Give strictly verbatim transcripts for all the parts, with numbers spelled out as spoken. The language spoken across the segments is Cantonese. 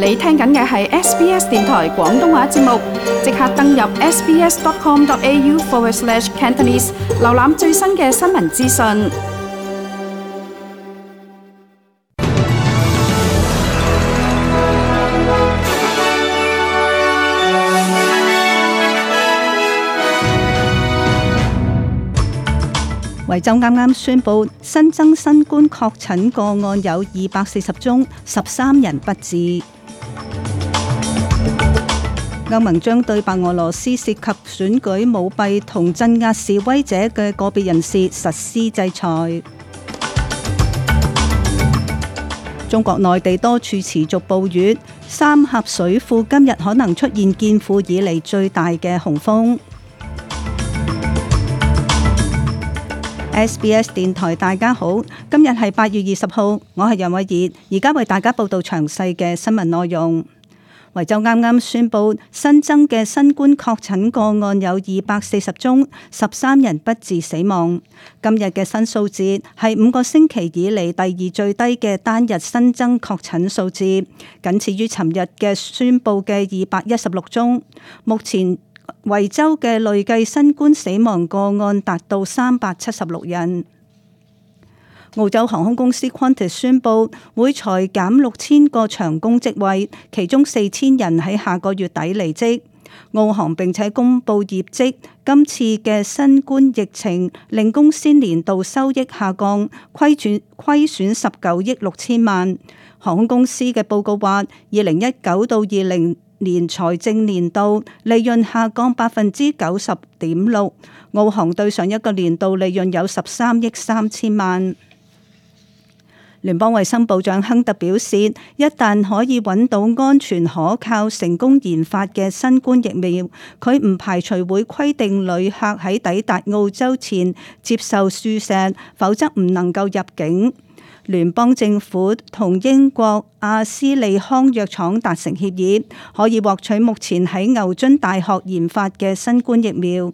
你聽緊嘅係 S B S 電台廣東話節目，即刻登入 sbs.com.au forward slash Cantonese， 瀏覽最新嘅新聞資訊。維州啱啱宣布新增新冠確診個案有二百四十宗，十三人不治。歐盟將對白俄羅斯涉及選舉舞弊同鎮壓示威者嘅個別人士實施制裁。中國內地多處持續暴雨，三峽水庫今日可能出現建庫以嚟最大嘅洪峰。S B S 電台大家好，今日係八月二十號，我係楊偉儀，而家為大家報道詳細嘅新聞內容。維州啱啱宣布新增嘅新冠確診個案有二百四十宗，十三人不治死亡。今日嘅新數字係五個星期以嚟第二最低嘅單日新增確診數字，僅次於尋日嘅宣布嘅二百一十六宗。目前維州嘅累計新冠死亡個案達到三百七十六人。澳洲航空公司 Qantas 宣布會裁減六千個長工職位，其中四千人喺下個月底離職。澳航並且公布業績，今次嘅新冠疫情令公司年度收益下降，虧損虧損十九億六千萬。航空公司嘅報告話，二零一九到二零年財政年度利潤下降百分之九十點六，澳航對上一個年度利潤有十三億三千萬。聯邦衛生部長亨特表示，一旦可以揾到安全可靠、成功研發嘅新冠疫苗，佢唔排除會規定旅客喺抵達澳洲前接受注射，否則唔能夠入境。聯邦政府同英國阿斯利康藥廠達成協議，可以獲取目前喺牛津大學研發嘅新冠疫苗。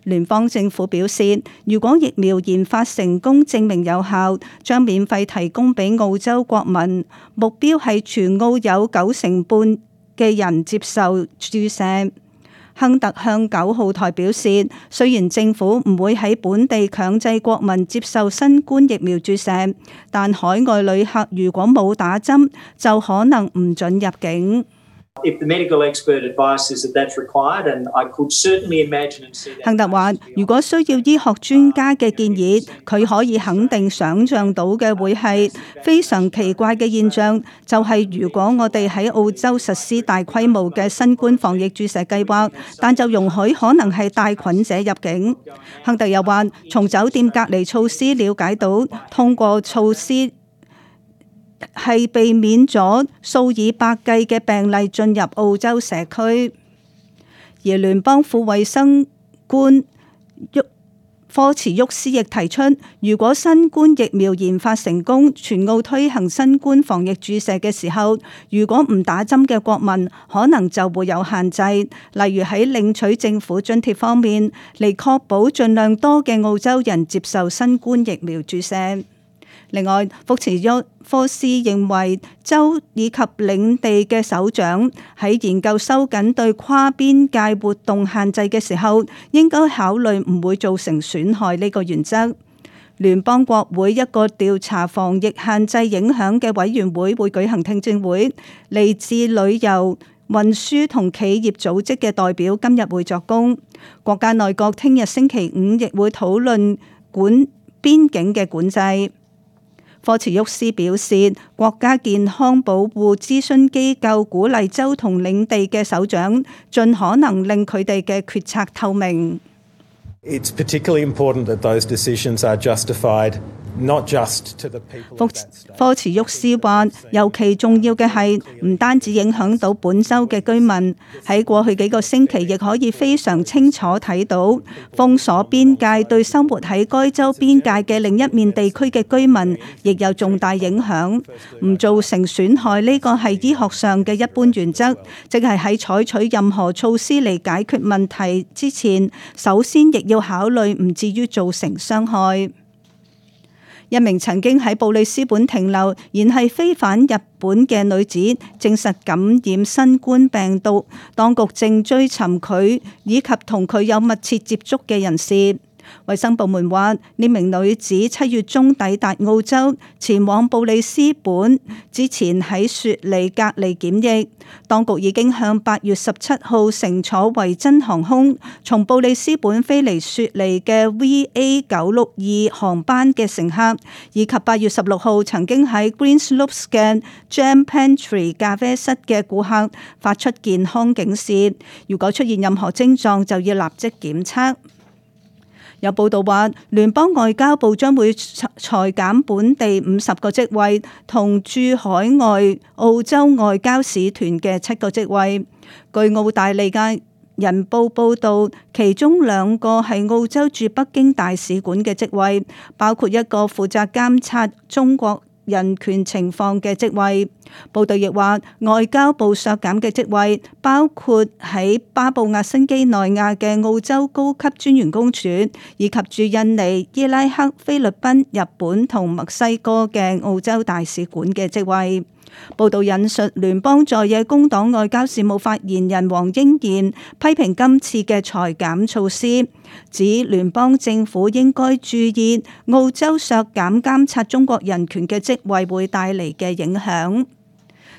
聯邦政府表示，如果疫苗研發成功證明有效，將免費提供俾澳洲國民，目標係全澳有九成半嘅人接受注射。亨特向九號台表示，雖然政府唔會喺本地強制國民接受新冠疫苗注射，但海外旅客如果冇打針，就可能唔准入境。亨特話，如果需要醫學專家嘅建議，佢可以肯定想像到嘅會係非常奇怪嘅現象，就係如果我哋喺澳洲實施大規模嘅新冠防疫注射計劃，但就容許可能係帶菌者入境。亨特又話，從酒店隔離措施了解到，通過措施係避免咗數以百計嘅病例進入澳洲社區。而聯邦副衛生官科茨沃斯亦提出，如果新冠疫苗研發成功，全澳推行新冠防疫注射嘅時候，如果唔打針嘅國民可能就會有限制，例如喺領取政府津貼方面，嚟確保盡量多嘅澳洲人接受新冠疫苗注射。另外，福茨沃科斯認為，州以及領地嘅首長喺研究收緊對跨邊界活動限制嘅時候，應該考慮唔會造成損害呢個原則。聯邦國會一個調查防疫限制影響嘅委員會會舉行聽證會，嚟自旅遊、運輸同企業組織嘅代表今日會作供。國家內閣聽日星期五亦會討論管邊境嘅管制。科茨沃斯表示，國家健康保護諮詢機構鼓勵州同領地嘅首長盡可能令佢哋嘅決策透明。It's particularly important that those decisions are justified. 科茨沃斯話，尤其重要嘅係唔單止影響到本州嘅居民，喺過去幾個星期亦可以非常清楚睇到封鎖邊界對生活喺該州邊界嘅另一面地區嘅居民亦有重大影響。唔造成損害呢個係醫學上嘅一般原則，即係喺採取任何措施嚟解決問題之前，首先亦要考慮唔至於造成傷害。一名曾經喺布里斯本停留，然係飛返日本嘅女子證實感染新冠病毒，當局正追尋佢以及同佢有密切接觸嘅人士。衛生部門話，呢名女子七月中抵達澳洲，前往布里斯本，之前喺雪梨隔離檢疫。當局已經向八月十七號乘坐維珍航空從布里斯本飛離雪梨嘅 V A 九六二航班嘅乘客，以及八月十六號曾經喺 Greenslopes 嘅 Jam Pantry 咖啡室嘅顧客發出健康警示，如果出現任何症狀就要立即檢測。有報道話，聯邦外交部將會裁減本地五十個職位，同駐海外澳洲外交使團嘅七個職位。據澳大利亞人報報導，其中兩個係澳洲駐北京大使館嘅職位，包括一個負責監察中國人權情況嘅職位。報道亦話，外交部削減嘅職位包括喺巴布亞新幾內亞嘅澳洲高級專員公署，以及駐印尼、伊拉克、菲律賓、日本同墨西哥嘅澳洲大使館嘅職位。報道引述聯邦在野工黨外交事務發言人黃英賢批評今次嘅裁減措施，指聯邦政府應該注意澳洲削減監察中國人權嘅職位會帶嚟嘅影響。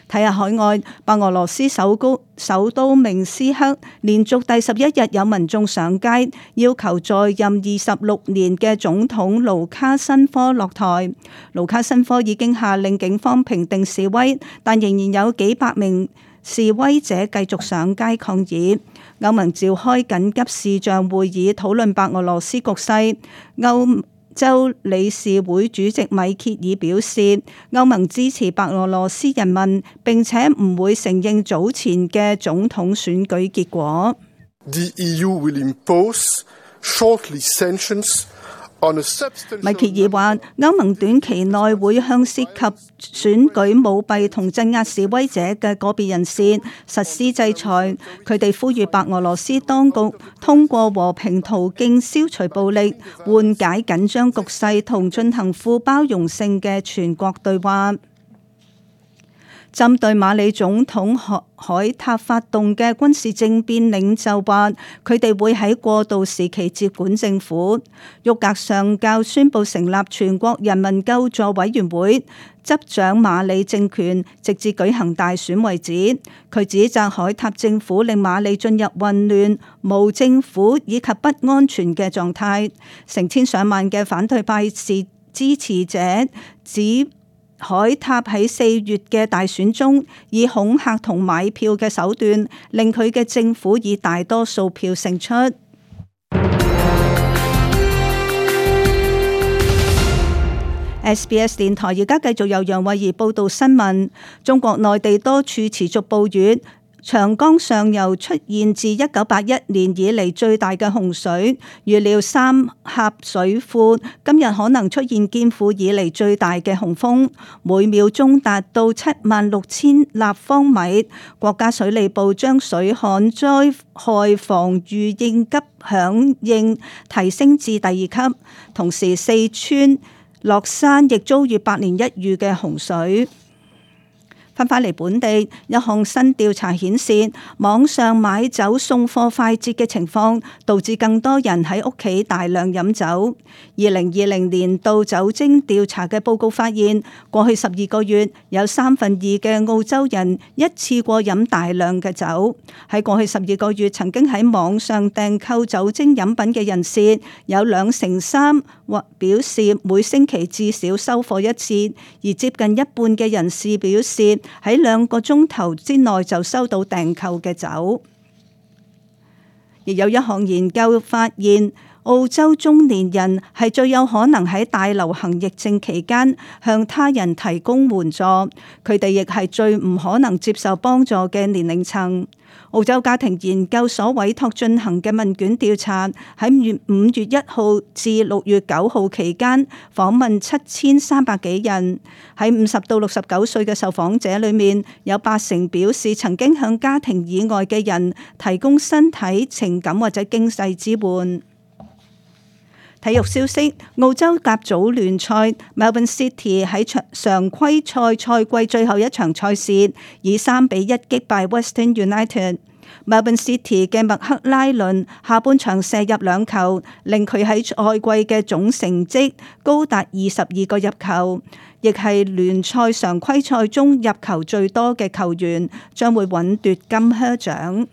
睇下海外，白俄羅斯首都首都明斯克連續第十一日有民眾上街，要求在任二十六年嘅總統盧卡申科落台。盧卡申科已經下令警方平定示威，但仍然有幾百名示威者繼續上街抗議。歐盟召開緊急視像會議討論白俄羅斯局勢。歐洲理事會主席米歇爾表示，歐盟支持白俄羅斯人民，並且唔會承認早前嘅總統選舉結果。The E U will impose shortly sanctions on a substantial... 米歇爾話，歐盟短期內會向涉及選舉舞弊同鎮壓示威者嘅個別人士實施制裁。佢哋呼籲白俄羅斯當局通過和平途徑消除暴力，緩解緊張局勢同進行富包容性嘅全國對話。針對馬里總統海塔發動嘅軍事政變，領袖話佢哋會喺過渡時期接管政府。沃格上校宣布成立全國人民救助委員會，執掌馬里政權，直至舉行大選為止。佢指責海塔政府令馬里進入混亂、無政府以及不安全嘅狀態。成千上萬嘅反對派是支持者指海塔喺四月嘅大選中，以恐嚇同買票嘅手段，令佢嘅政府以大多數票勝出。S B S 電台而家繼續由楊慧儀報道新聞。中國內地多處持續暴雨。長江上游出現自一九八一年以嚟最大嘅洪水，預料三峽水庫今日可能出現建庫以嚟最大嘅洪峰，每秒鐘達到七萬六千立方米。國家水利部將水旱災害防禦應急響應提升至第二級，同時四川樂山亦遭遇百年一遇嘅洪水。翻返嚟本地，一項新調查顯示，網上買酒送貨快捷嘅情況，導致更多人喺屋企大量飲酒。二零二零年度酒精調查嘅報告發現，過去十二個月有三分二嘅澳洲人一次過飲大量嘅酒。喺過去十二個月曾經喺網上訂購酒精飲品嘅人士，有兩成三或表示每星期至少收貨一次，而接近一半嘅人士表示，喺兩個鐘頭之內就收到訂購嘅酒。亦有一項研究發現，澳洲中年人係最有可能喺大流行疫症期間向他人提供援助，佢哋亦係最唔可能接受幫助嘅年齡層。澳洲家庭研究所委託進行嘅問卷調查，喺五月一號至六月九號期間訪問七千三百幾人。喺五十到六十九歲嘅受訪者裏面，有八成表示曾經向家庭以外嘅人提供身體、情感或者經濟支援。體育消息：澳洲甲組聯賽 Melbourne City 喺常規賽賽季最後一場賽事，以三比一擊敗 Western United。Melbourne City 嘅麥克拉倫下半場射入兩球，令佢喺賽季嘅總成績高達二十二個入球，亦係聯賽常規賽中入球最多嘅球員，將會穩奪金靴獎。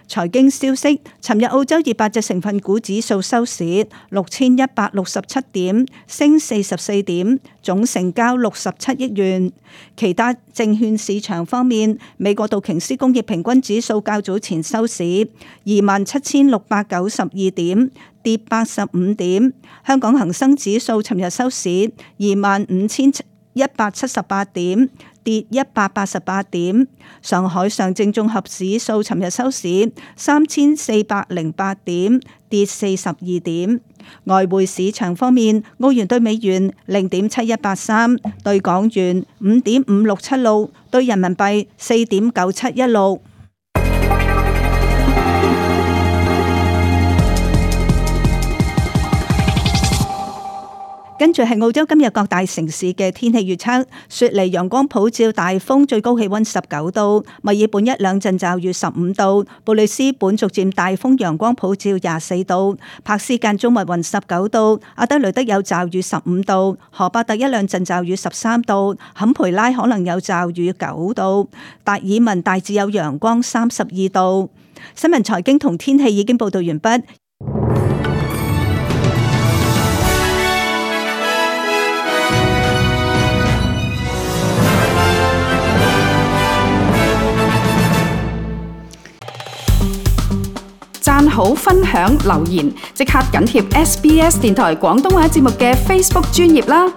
財經消息：尋日澳洲二百隻成分股指數收市六千一百六十七點，升四十四點，總成交六十七億元。其他證券市場方面，美國道瓊斯工業平均指數較早前收市二萬七千六百九十二點，跌八十五點。香港恒生指數尋日收市二萬五千一百七十八點，跌一百八十八點。上海上證綜合指數尋日收市三千四百零八點，跌四十二點。外匯市場方面，澳元對美元零點七一八三，對港元五點五六七六，對人民幣四點九七一六。跟住係澳洲今日各大城市嘅天氣預測：雪梨陽光普照，大風，最高氣溫十九度；墨爾本一兩陣驟雨十五度；布里斯本逐漸大風，陽光普照廿四度；柏斯間中密雲十九度；阿德雷德有驟雨十五度；荷伯特一兩陣驟雨十三度；坎培拉可能有驟雨九度；達爾文大致有陽光三十二度。新聞財經同天氣已經報道完畢。讚好、分享、留言，即刻緊貼 S B S 電台廣東話節目嘅 Facebook 專頁啦！